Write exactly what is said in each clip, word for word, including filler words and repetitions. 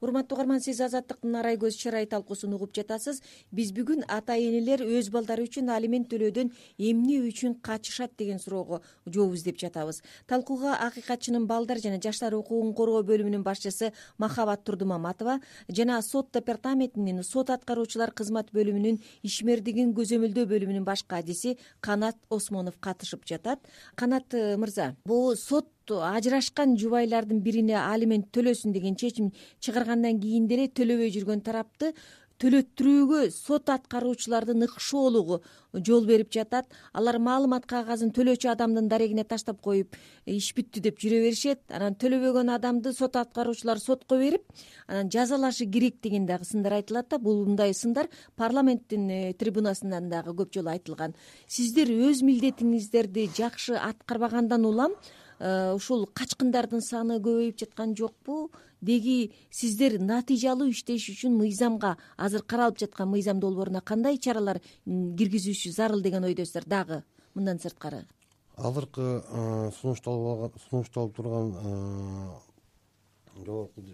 урматтуу угарман, сиз Азаттыктын Арай көз чырай талкуусун угуп жатасыз. Биз бүгүн ата-энелер өз балдары үчүн алимент төлөөдөн эмне үчүн качышат деген суроого жооп издеп жатабыз. Талкууга акыйкатчынын балдар жана жаштар укугун коргоо бөлүмүнүн башчысы Махабат Турдумаматова жана сот департаментинин сот аткаруучулар кызмат бөлүмүнүн ишмердигин көзөмөлдөө бөлүмүнүн баш кадиси Канат Осмонов катышып жатат. Канат мырза, бул сот ажырашкан жубайлардын бирине алимент төлөсүн деген чечим чыгаргандан кийин деле төлөбөй жүргөн тарапты төлөттүрүүгө сот аткаруучулардын ыкшоолугу жол берип жатат. Алар маалымат кагазын төлөөчү адамдын дарегине таштап коюп, иш бүттү деп жүрө беришет. Анан төлөбөгөн адамды сот аткаруучулар сотко берип, анан жазалашы керек деген дагы сындар айтылат да. Бул мындай сындар парламенттин трибунасынан дагы көп жолу айтылган. Сиздер өз милдетиңиздерди жакшы аткарбагандан улам ушул качкындардын саны көбөйүп жаткан жокпу? Деги сиздер натыйжалуу иштеш үчүн мыйзамга, азыр каралып жаткан мыйзам долбооруна кандай чаралар киргизүүсү зарыл деген ойдосуздар дагы мындан сырткары? Азыркы сунушталып турган жогорку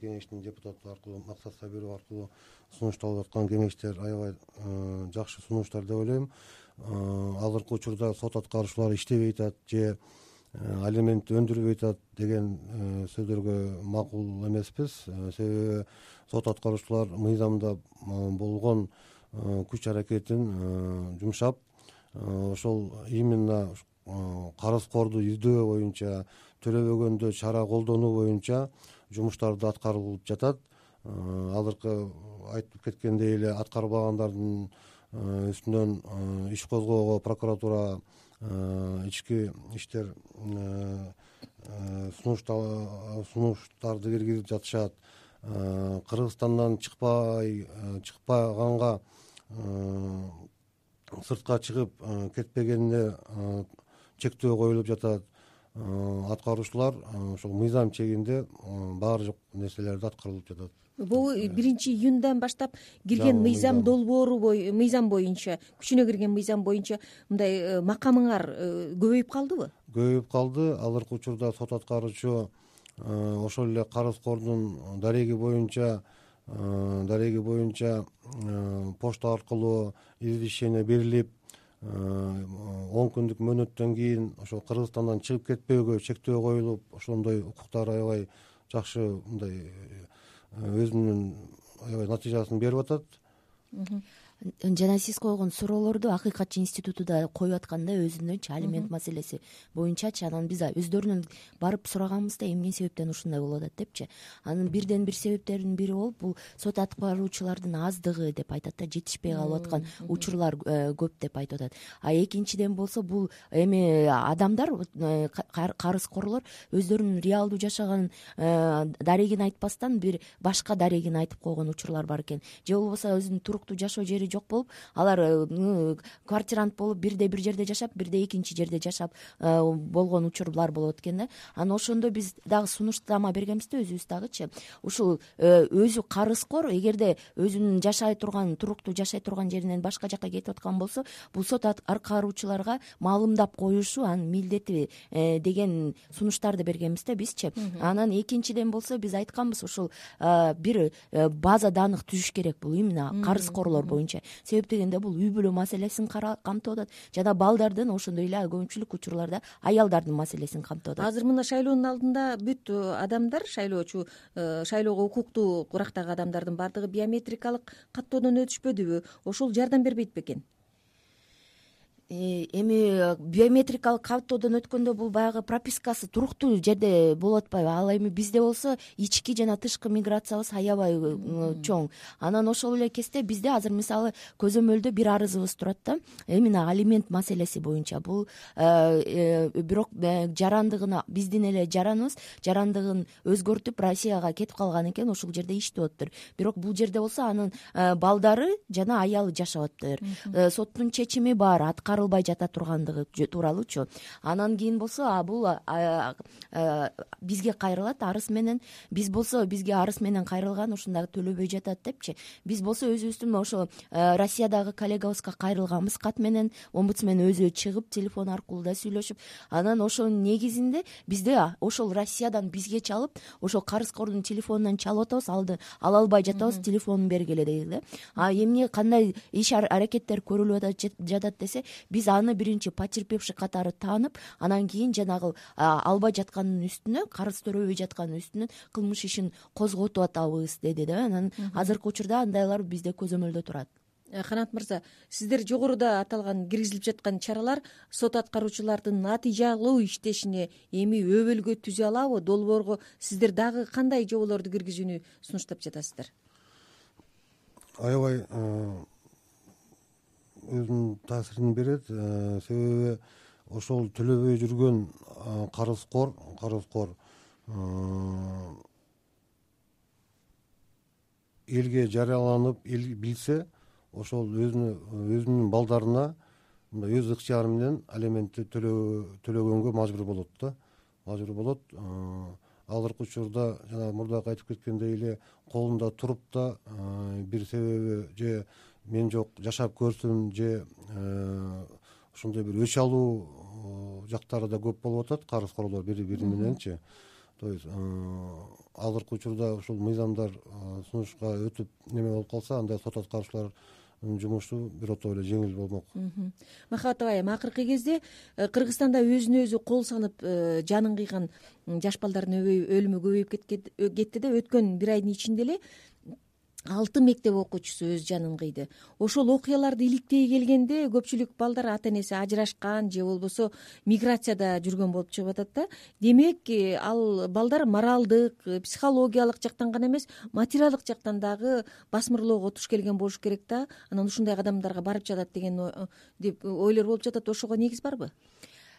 кеңештин депутаты аркылуу, Максат Сабиров аркылуу сунушталып аткан кеңештер аябай жакшы сунуштар деп ойлойм. Азыркы учурда сот аткаруучулар иштебей атат же алимент өндүрбөй атат деген сөздөргө макул эмеспиз. Себеби сот аткаруучулар мыйзамда болгон күч аракетин жумшап, ошол именно карызкорду издөө боюнча, төлөбөгөндө чара колдонуу боюнча жумуштарды аткарылып жатат. Азыркы айтып кеткендей эле аткарбагандардын үстүнөн иш козгоого прокуратура, ички иштер сунуштарды киргизип жатышат. Кыргызстандан чыкпай чыкпаганга, сыртка чыгып кетпегенине чектөө коюлуп жатат. Аткаруучулар ошол мыйзам чегинде баардык нерселерди аткарылып жатат. Бул биринчи июндан баштап кирген мыйзам долбоору мыйзам боюнча, күчүнө кирген мыйзам боюнча мындай макамыңар көбөйүп калдыбы? Көбөйүп калды. Азыркы учурда сот аткаруучу ошол эле карызкордун дареги боюнча дареги боюнча почта аркылуу извещение берилип, он күндүк мөөнөттөн кийин ошол Кыргызстандан чыгып кетпөөгө чектөө коюлуп, ошондой укуктар аябай жакшы мындай өзүнүн аябай натыйжасын берип атат. Жана сиз койгон суроолорду Акыйкатчы институту да коюп аткан да, өзүнөнчү алимент маселеси боюнчачы. Анан биз өздөрүнөн барып сураганбызда эмне себептен ушундай болуп атат депчи. Анын бирден бир себептеринин бири болуп, бул сот аткаруучулардын аздыгы деп айтат да, жетишпей калып аткан учурлар көп деп айтып атат. А экинчиден болсо бул эми адамдар, карызкорлор өздөрүнүн реалдуу жашаган дарегин айтпастан бир башка дарегин айтып койгон учурлар бар экен. Же болбосо өзүнүн туруктуу жашоо жери жок болуп, алар квартирант болуп бирде бир жерде жашап, бирде экинчи жерде жашап болгон учурлар болот экен да. Анан ошондо биз дагы сунуштама бергенбиз да, өзүбүз дагычы. Ушул өзү карызкор эгерде өзүнүн жашай турган, туруктуу жашай турган жеринен башка жакка кетип аткан болсо, бул сот аткаруучуларга маалымдап коюшу анын милдети деген сунуштарды бергенбиз да бизчи. Анан экинчиден болсо биз айтканбыз, ушул бир база даных түзүш керек, бул именно карызкорлор боюнча. Себеп дегенде бул үй бүлө маселесин камтып атат жана балдардын, ошондой эле көпчүлүк учурларда аялдардын маселесин камтып атат. Азыр мына шайлоонун алдында бүт адамдар, шайлоочу, шайлоого укуктуу курактагы адамдардын баардыгы биометрикалык каттоодон өтүшпөдүбү? Ошол жардам бербейт бекен? Эми биометрикалык каттоодон өткөндө бул баягы пропискасы туруктуу жерде болуп атпайбы? Ал эми бизде болсо ички жана тышкы миграциябыз аябай чоң. Анан ошол эле кезде бизде азыр мисалы көзөмөлдө бир арызыбыз турат да, именно алимент маселеси боюнча. Бул бирок жарандыгына, биздин эле жараныбыз жарандыгын өзгөртүп Россияга кетип калган экен, ошол жерде иштеп атыптыр. Бирок бул жерде болсо анын балдары жана аялы жашап атыптыр. Соттун чечими бар, аткарылып кыскарылбай жата тургандыгы тууралуучу. Анан кийин болсо а бул бизге кайрылат арыз менен, биз болсо бизге арыз менен кайрылган ушундай төлөбөй жатат депчи. Биз болсо өзүбүздүн ошо Россиядагы коллегабызга кайрылганбыз кат менен, омбудсмен өзү чыгып телефон аркылуу да сүйлөшүп, анан ошонун негизинде бизде ошол Россиядан бизге чалып, ошол карызкордун телефонунан чалып атабыз, алды ала албай жатабыз, телефонун бергиле дейт да. А эмне кандай иш аракеттер көрүлүп жатат десе, биз аны биринчи потерпевший катары таанып, анан кийин жанагы албай жаткандын үстүнө, карыз төрөбөй жаткандын үстүнө кылмыш ишин козготуп атабыз деди да. Анан азыркы учурда андайлар бизде көзөмөлдө турат. Канат мырза, сиздер жогоруда аталган киргизилип жаткан чаралар сот аткаруучулардын натыйжалуу иштешине эми өбөлгө түзө алабы? Долбоорго сиздер дагы кандай жоболорду киргизүүнү сунуштап жатасыздар? Аябай өзүнүн таасирин берет. Себеби ошол төлөбөй жүргөн карызкор карызкор элге жарыяланып, эл билсе, ошол өзүнө өзүнүн балдарына мындай өз ыктыяры менен алиментти төлөгөнгө мажбур болот да, мажбур болот. Азыркы учурда жана мурдакы айтып кеткендей эле колунда туруп да бир себеби же мен жок жашап көрсүн, же ошондой бир өч алуу жактары да көп болуп атат, карызкорлор бири бири мененчи. То есть азыркы учурда ушул мыйзамдар сунушка өтүп неме болуп калса, анда сот аткаруучулардын жумушу бирото эле жеңил болмок. Махабат Абайым, акыркы кезде Кыргызстанда өзүнө өзү кол салып жанын кыйган жаш балдардын өлүмү көбөйүп кетти да. Өткөн бир айдын ичинде эле алты мектеп окуучусу өз жанын кыйды. Ошол окуяларды иликтей келгенде көпчүлүк балдар ата энеси ажырашкан же болбосо миграцияда жүргөн болуп чыгып атат да. Демек, ал балдар моралдык, психологиялык жактан гана эмес, материалдык жактан дагы басмырлоого туш келген болуш керек да. Анан ушундай кадамдарга барып жатат деген деп ойлор болуп жатат. Ошого негиз барбы?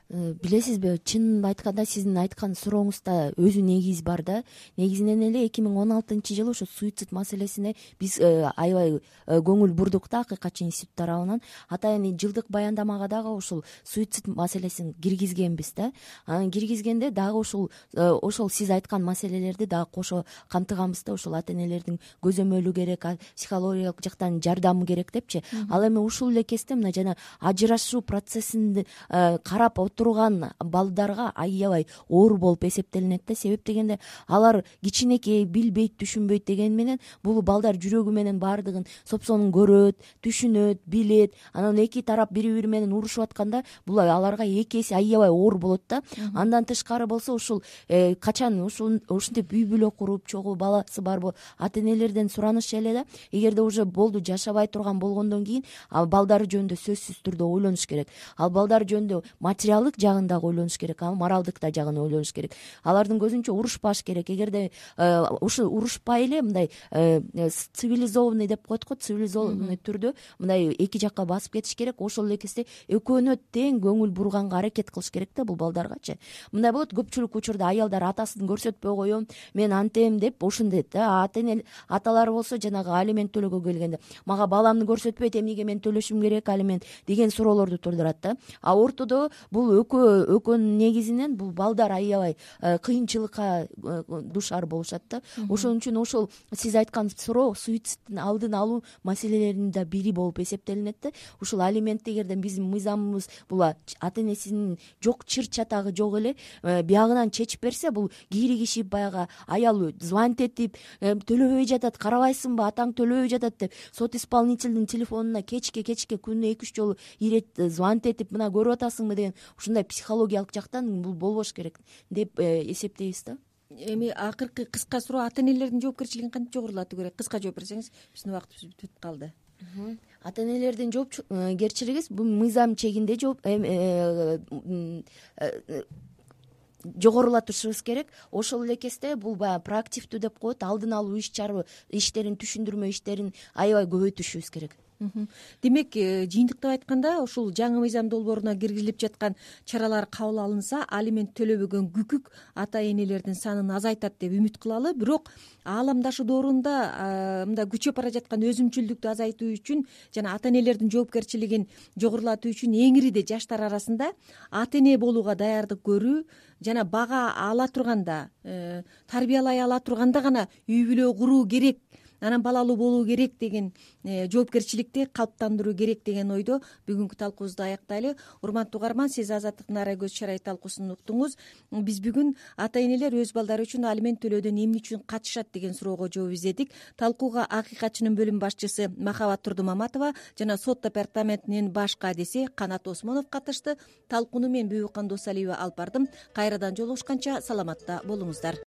Билесизби, чынын айтканда сиздин айткан сурооңузда өзү негиз бар да. Негизинен эле эки миң он алтынчы жылы ошо суицид маселесине биз аябай көңүл бурдук да, акыйкатчы институт тарабынан. Атайын жылдык баяндамага дагы ушул суицид маселесин киргизгенбиз да. Анан киргизгенде дагы ушул ошол сиз айткан маселелерди дагы кошо камтыганбыз да. Ушул ата энелердин көзөмөлү керек, психологиялык жактан жардамы керек депчи. Ал эми ушул эле кезде мына жана ажырашуу процессин карап турган балдарга аябай оор болуп эсептелинет да. Себеп дегенде алар кичинекей, билбейт, түшүнбөйт деген менен бул балдар жүрөгү менен баардыгын сопсонун көрөт, түшүнөт, билет. Анан эки тарап бири-бири менен урушуп атканда бул аларга эки эсе аябай оор болот да. Андан тышкары болсо ушул качан ушул ушинтип үй бүлө куруп чогуу баласы барбы ата энелерден сураныш эле да. Эгерде уже болду жашабай турган болгондон кийин балдары жөнүндө сөзсүз түрдө ойлонуш керек. Ал балдар жөнүндө материалдык жагын дагы ойлонуш керек, моралдык да жагын ойлонуш керек. Алардын көзүнчө урушпаш керек. Эгерде ушу урушпай эле мындай цивилизованный деп коет го, цивилизованный түрдө мындай эки жакка басып кетиш керек. Ошол эле кезде экөөнө тең көңүл бурганга аракет кылыш керек да бул балдаргачы. Мындай болот, көпчүлүк учурда аялдар атасын көрсөтпөй коем, мен антем деп ошондойт да. Ата эне аталары болсо жанагы алимент төлөөгө келгенде мага баламды көрсөтпөйт, эмнеге мен төлөшүм керек алимент деген суроолорду туудурат да. А ортодо бул экөө экөөнүн негизинен бул балдар аябай кыйынчылыкка душар болушат да. Ошон үчүн ошол сиз айткан суроо суицидтин алдын алуу маселелеринин да бири болуп эсептелинет да. Ушул алимент эгерде биздин мыйзамыбыз бул ата энесинин жок чыр чатагы жок эле биягынан чечип берсе, бул кийри киши баягы аял звонить этип төлөбөй жатат, карабайсыңбы, атаң төлөбөй жатат деп сот исполнительдин телефонуна кечке кечке күнүнө эки үч жолу ирет звонить этип мына көрүп атасыңбы деген ушундай психологиялык жактан бул болбош керек деп эсептейбиз да. Эми акыркы кыска суроо, ата энелердин жоопкерчилигин кантип жогорулатуу керек? Кыска жооп берсеңиз, биздин убактыбыз бүтүп калды. Ата энелердин жоопкерчилиги бул мыйзам чегинде жооп жогорулатышыбыз керек. Ошол эле кезде бул баягы проактивдүү деп коет, алдын алуу иш чара иштерин, түшүндүрмө иштерин аябай көбөйтүшүбүз керек. демек жыйынтыктап айтканда ушул жаңы мыйзам долбооруна киргизилип жаткан чаралар кабыл алынса алимент төлөбөгөн күкүк ата энелердин санын азайтат деп үмүт кылалы. Бирок ааламдашы доорунда мындай күчөп бара жаткан өзүмчүлдүктү азайтуу үчүн жана ата энелердин жоопкерчилигин жогорулатуу үчүн эң ириде жаштар арасында ата эне болууга даярдык көрүү жана бага ала турганда, тарбиялай ала турганда гана үй бүлө куруу керек, анан балалуу болуу керек деген жоопкерчиликти калыптандыруу керек деген ойдо бүгүнкү талкуубузду аяктайлы. Урматтуу угарман, сиз Азаттык Нарай көз чырай талкуусун уктуңуз. Биз бүгүн ата энелер өз балдары үчүн алимент төлөөдөн эмне үчүн качышат деген суроого жооп издедик. Талкууга акыйкатчынын бөлүм башчысы Махабат Турдумаматова жана сот департаментинин баш кадиси Канат Осмонов катышты. Талкууну мен Бүбүкан Досалиева алып бардым. Кайрадан жолугушканча саламатта болуңуздар.